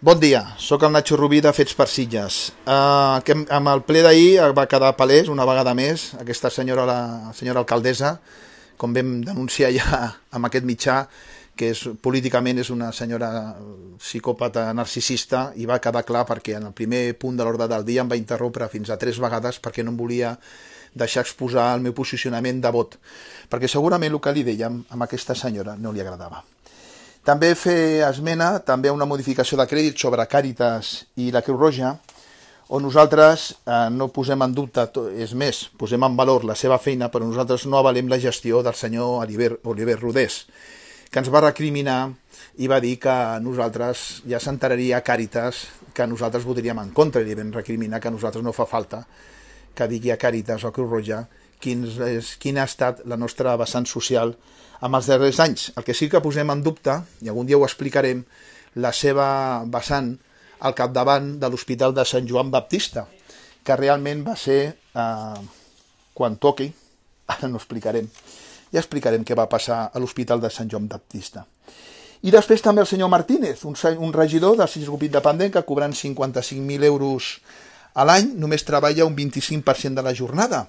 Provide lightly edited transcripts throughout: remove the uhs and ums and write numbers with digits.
Bon dia, sóc el Nacho Rubí de Fets per Sitges. Amb el ple d'ahir va quedar palès una vegada més aquesta senyora, la senyora alcaldessa, com vam denunciar ja amb aquest mitjà, que políticament és una senyora psicòpata narcisista, i va quedar clar perquè en el primer punt de l'ordre del dia em va interrompre fins a 3 vegades perquè no em volia deixar exposar el meu posicionament de vot, perquè segurament el que li dèiem a aquesta senyora no li agradava. També fer esmena també a una modificació de crèdit sobre Càritas i la Creu Roja, on nosaltres no posem en dubte, és més, posem en valor la seva feina, però nosaltres no avalem la gestió del senyor Oliver Rodés, que ens va recriminar i va dir que nosaltres ja s'enteraria a Càritas que nosaltres votaríem en contra, i li vam recriminar que a nosaltres no fa falta que digui a Càritas o a Creu Roja quina ha estat la nostra vessant social en els darrers anys. El que sí que posem en dubte, i algun dia ho explicarem, la seva vessant al capdavant de l'Hospital de Sant Joan Baptista, que realment va ser, quan toqui, ara no explicarem, ja explicarem què va passar a l'Hospital de Sant Joan Baptista. I després també el senyor Martínez, un regidor del Sitges Grup Independent que cobrant 55.000 euros a l'any només treballa un 25% de la jornada.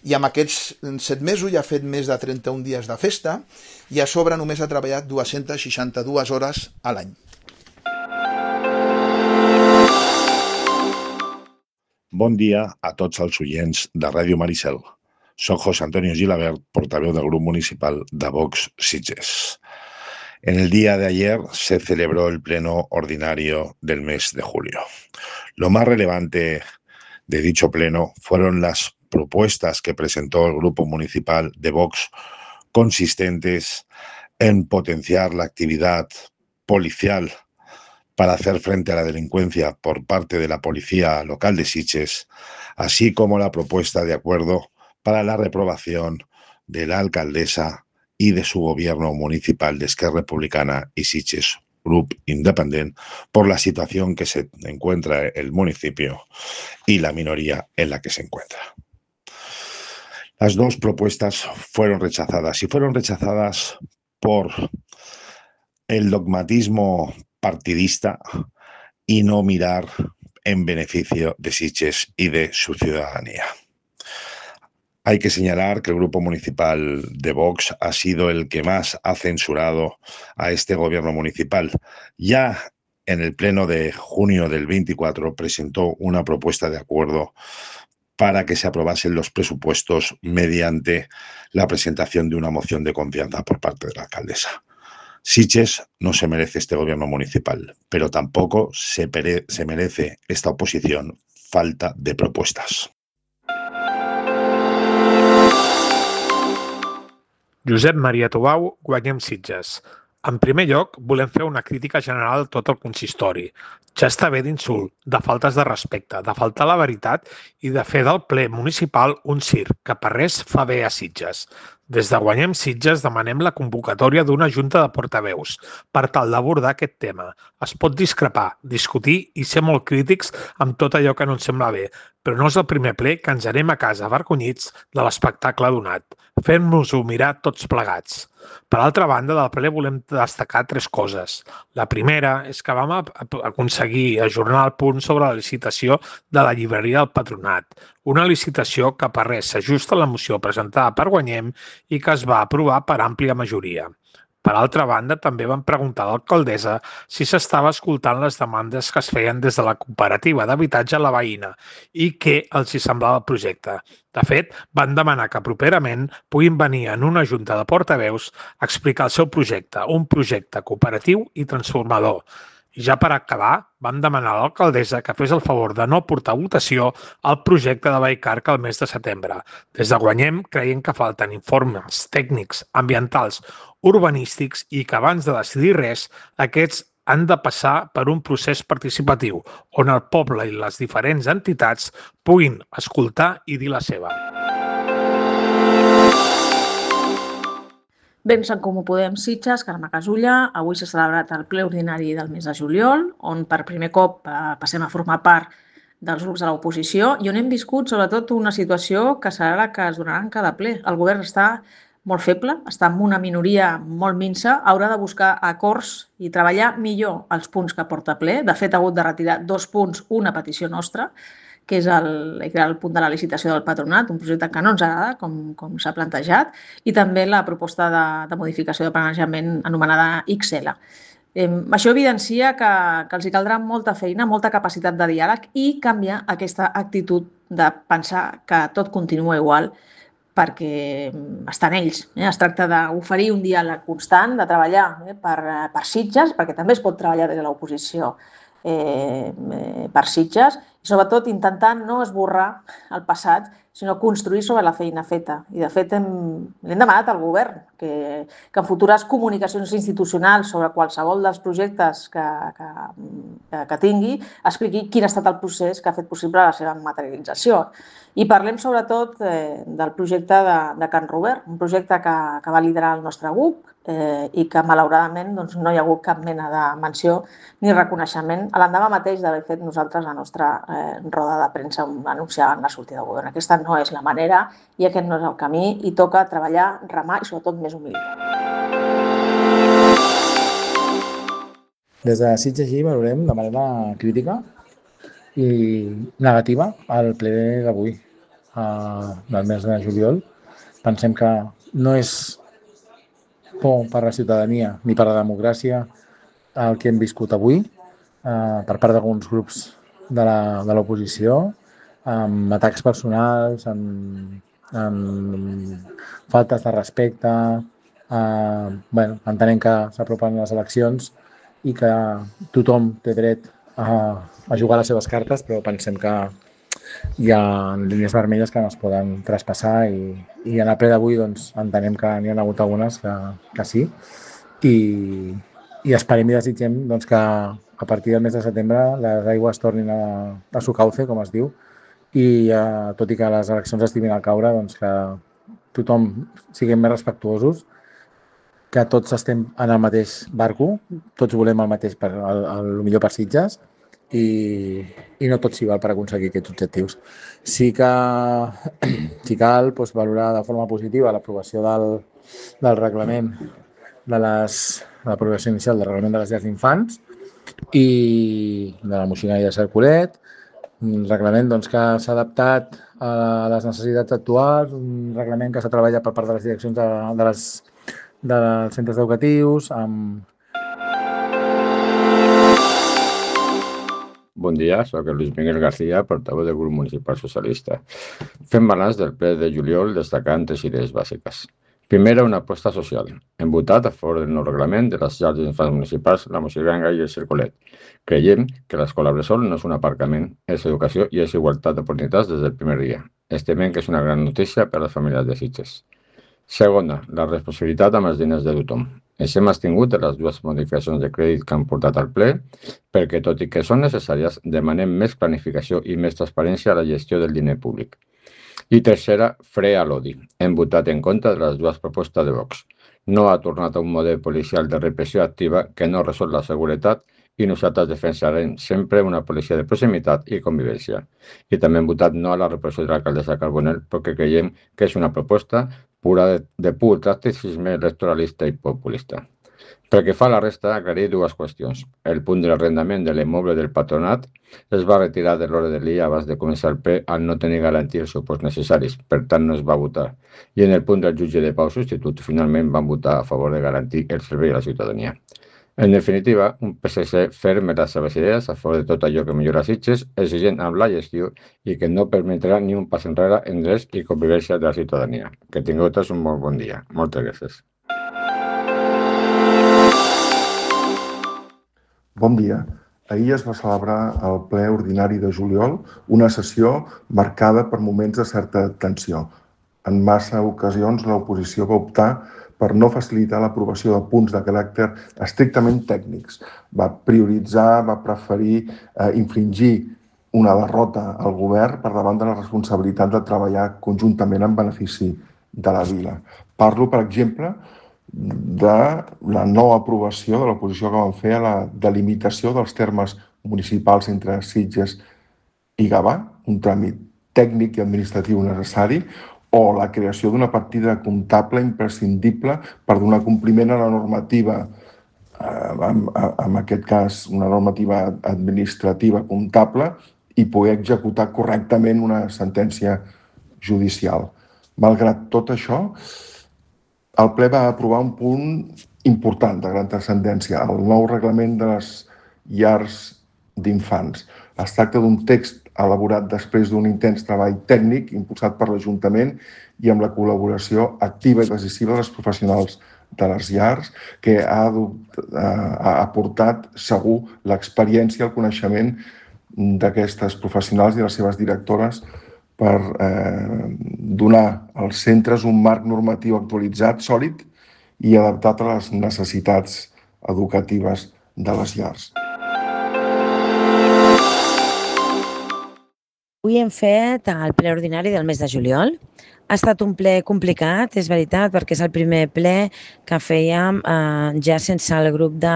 I amb aquests 7 mesos ja ha fet més de 31 dies de festa i a sobre només ha treballat 262 hores a l'any. Bon dia a tots els oients de Ràdio Maricel. Soc José Antonio Gilabert, portaveu del Grupo Municipal de Vox Sitges. En el día de ayer se celebró el pleno ordinario del mes de julio. Lo más relevante de dicho pleno fueron las propuestas que presentó el Grupo Municipal de Vox, consistentes en potenciar la actividad policial para hacer frente a la delincuencia por parte de la Policía Local de Sitges, así como la propuesta de acuerdo para la reprobación de la alcaldesa y de su gobierno municipal de Esquerra Republicana y Sitges Grup Independent por la situación que se encuentra el municipio y la minoría en la que se encuentra. Las dos propuestas fueron rechazadas y fueron rechazadas por el dogmatismo partidista y no mirar en beneficio de Sitges y de su ciudadanía. Hay que señalar que el Grupo Municipal de Vox ha sido el que más ha censurado a este gobierno municipal. Ya en el pleno de junio del 24 presentó una propuesta de acuerdo para que se aprobasen los presupuestos mediante la presentación de una moción de confianza por parte de la alcaldesa. Sitges no se merece este gobierno municipal, pero tampoco se merece esta oposición falta de propuestas. Josep Maria Tubau, Guanyem Sitges. En primer lloc, volem fer una crítica general a tot el consistori. Ja està bé d'insult, de faltes de respecte, de faltar la veritat i de fer del ple municipal un circ, que per res fa bé a Sitges. Des de Guanyem Sitges demanem la convocatòria d'una junta de portaveus per tal d'abordar aquest tema. Es pot discrepar, discutir i ser molt crítics amb tot allò que no ens sembla bé, però no és el primer ple que ens anem a casa avergonyits de l'espectacle donat. Fem-nos-ho mirar tots plegats. Per altra banda, del ple volem destacar 3 coses. La primera és que vam aconseguir ajornar el punt sobre la licitació de la llibreria del Patronat, una licitació que per res s'ajusta a la moció presentada per Guanyem i que es va aprovar per àmplia majoria. Per altra banda, també vam preguntar a l'alcaldessa si s'estava escoltant les demandes que es feien des de la cooperativa d'habitatge La Veïna i què els hi semblava el projecte. De fet, van demanar que properament puguin venir en una junta de portaveus a explicar el seu projecte, un projecte cooperatiu i transformador. I ja per acabar, vam demanar a l'alcaldessa que fes el favor de no portar a votació el projecte de Vallcarca al mes de setembre. Des de Guanyem creiem que falten informes tècnics, ambientals, urbanístics i que abans de decidir res, aquests han de passar per un procés participatiu on el poble i les diferents entitats puguin escoltar i dir la seva. Bé, en Comú Podem Sitges, Carme Casulla, avui s'ha celebrat el ple ordinari del mes de juliol, on per primer cop passem a formar part dels grups de l'oposició i on hem viscut sobretot una situació que serà la que es donarà en cada ple. El govern està molt feble, està en una minoria molt minsa, haurà de buscar acords i treballar millor els punts que porta ple. De fet, ha hagut de retirar 2 punts, una petició nostra, que és el punt de la licitació del patronat, un projecte que no ens agrada, com s'ha plantejat, i també la proposta de modificació de planejament anomenada XL. Això evidencia que els hi caldrà molta feina, molta capacitat de diàleg i canviar aquesta actitud de pensar que tot continua igual perquè estan ells. Es tracta d'oferir un diàleg constant, de treballar per Sitges, perquè també es pot treballar des de l'oposició per Sitges, i sobretot intentar no esborrar el passat, sinó construir sobre la feina feta. I de fet hem demanat al govern que en futures comunicacions institucionals sobre qualsevol dels projectes que tingui expliqui quin ha estat el procés que ha fet possible la seva materialització. I parlem sobretot del projecte de Can Robert, un projecte que va liderar el nostre grup i que malauradament no hi ha hagut cap mena de menció ni reconeixement a l'endemà mateix d'haver fet nosaltres la nostra roda de premsa anunciant la sortida del govern. Aquesta no és la manera i aquest no és el camí i toca treballar, remar i sobretot més humilitat. Des de Sitges i valorem de manera crítica i negativa el ple d'avui del mes de juliol. Pensem que no és por per la ciutadania ni per la democràcia el que hem viscut avui per part d'alguns grups de l'oposició, amb atacs personals, amb faltes de respecte. Entenem que s'apropen les eleccions i que tothom té dret a jugar les seves cartes, però pensem que hi ha línies vermelles que no es poden traspassar i en el ple d'avui entenem que n'hi ha hagut algunes que sí i esperem i desitgem que a partir del mes de setembre les aigües tornin a su cauce, com es diu, i tot i que les eleccions estiguin al caure, que tothom siguem més respectuosos, que tots estem en el mateix barco, tots volem el mateix, el millor per Sitges, i no tot s'hi val per aconseguir aquests objectius. Sí que cal valorar de forma positiva l'aprovació del reglament l'aprovació inicial del reglament de les llars d'infants i de la Moixigana i de Cercolet, un reglament que s'ha adaptat a les necessitats actuals, un reglament que s'ha treballat per part de les direccions dels centres educatius, Bon dia, soc el Luis Miguel García, portaveu del grup municipal socialista. Fem balanç del ple de juliol destacant 3 idees bàsiques. Primera, una aposta social. Hem votat a favor del nou reglament de les llars d'infants municipals, la Moixigana i el Cercolet. Creiem que l'escola bressol no és un aparcament, és educació i és igualtat d'oportunitats des del primer dia. Estimem que és una gran notícia per a les famílies de Sitges. Segona, la responsabilitat amb els diners de tothom. Ens hem abstingut de les 2 modificacions de crèdit que han portat al ple perquè, tot i que són necessàries, demanem més planificació i més transparència a la gestió del diner públic. I tercera, fre a l'odi. Hem votat en contra de les 2 propostes de Vox. No ha tornat a un model policial de repressió activa que no resol la seguretat i nosaltres defensarem sempre una policia de proximitat i convivència. I també hem votat no a la repressió de l'alcaldessa Carbonell perquè creiem que és una proposta pura de pur tacticisme electoralista i populista. Pel que fa a la resta, aclarir 2 qüestions. El punt de l'arrendament de l'immoble del patronat es va retirar de l'ordre del dia abans de començar el ple al no tenir garantir els suports necessaris, per tant no es va votar. I en el punt del jutge de pau substitut, finalment van votar a favor de garantir el servei a la ciutadania. En definitiva, un PSC ferm en les seves idees a favor de tot allò que millora Sitges, exigent amb la gestió i que no permetrà ni un pas enrere en drets i convivència de la ciutadania. Que tingueu tots un molt bon dia. Moltes gràcies. Bon dia. Ahir es va celebrar el ple ordinari de juliol, una sessió marcada per moments de certa tensió. En massa ocasions l'oposició va optar per no facilitar l'aprovació de punts de caràcter estrictament tècnics. Va prioritzar, va preferir infringir una derrota al govern per davant de la responsabilitat de treballar conjuntament en benefici de la vila. Parlo, per exemple, de la no aprovació de l'oposició que van fer a la delimitació dels termes municipals entre Sitges i Gavà, un tràmit tècnic i administratiu necessari, o la creació d'una partida comptable imprescindible per donar compliment a la normativa, en aquest cas una normativa administrativa comptable, i poder executar correctament una sentència judicial. Malgrat tot això, el ple va aprovar un punt important de gran transcendència, el nou reglament de les llars d'infants. Es tracta d'un text elaborat després d'un intens treball tècnic impulsat per l'Ajuntament i amb la col·laboració activa i decisiva de les professionals de les llars, que ha aportat segur l'experiència i el coneixement d'aquestes professionals i les seves directores per donar als centres un marc normatiu actualitzat, sòlid i adaptat a les necessitats educatives de les llars. Avui hem fet el ple ordinari del mes de juliol. Ha estat un ple complicat, és veritat, perquè és el primer ple que fèiem ja sense el grup de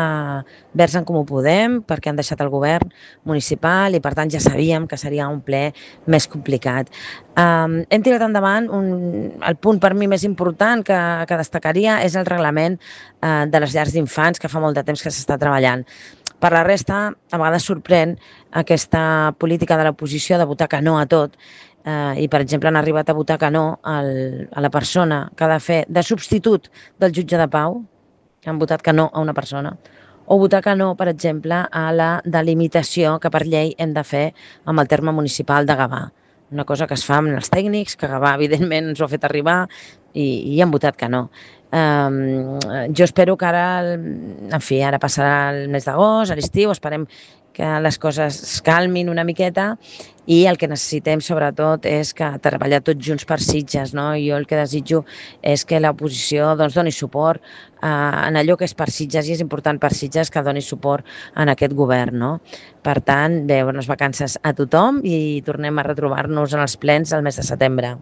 Verds en Comú Podem, perquè han deixat el govern municipal i per tant ja sabíem que seria un ple més complicat. Hem tirat endavant el punt per mi més important que destacaria és el reglament de les llars d'infants, que fa molt de temps que s'està treballant. Per la resta, a vegades sorprèn aquesta política de l'oposició de votar que no a tot i, per exemple, han arribat a votar que no a la persona que ha de fer de substitut del jutge de pau, han votat que no a una persona, o votar que no, per exemple, a la delimitació que per llei hem de fer amb el terme municipal de Gavà. Una cosa que es fa amb els tècnics, que Gavà, evidentment, ens ho ha fet arribar i han votat que no. Jo espero que ara, en fi, ara passarà el mes d'agost, a l'estiu, esperem que les coses es calmin una miqueta i el que necessitem sobretot és que treballar tots junts per Sitges, no? Jo el que desitjo és que l'oposició doni suport en allò que és per Sitges i és important per Sitges que doni suport en aquest govern, no? Per tant, bé, bones vacances a tothom i tornem a retrobar-nos en els plens el mes de setembre.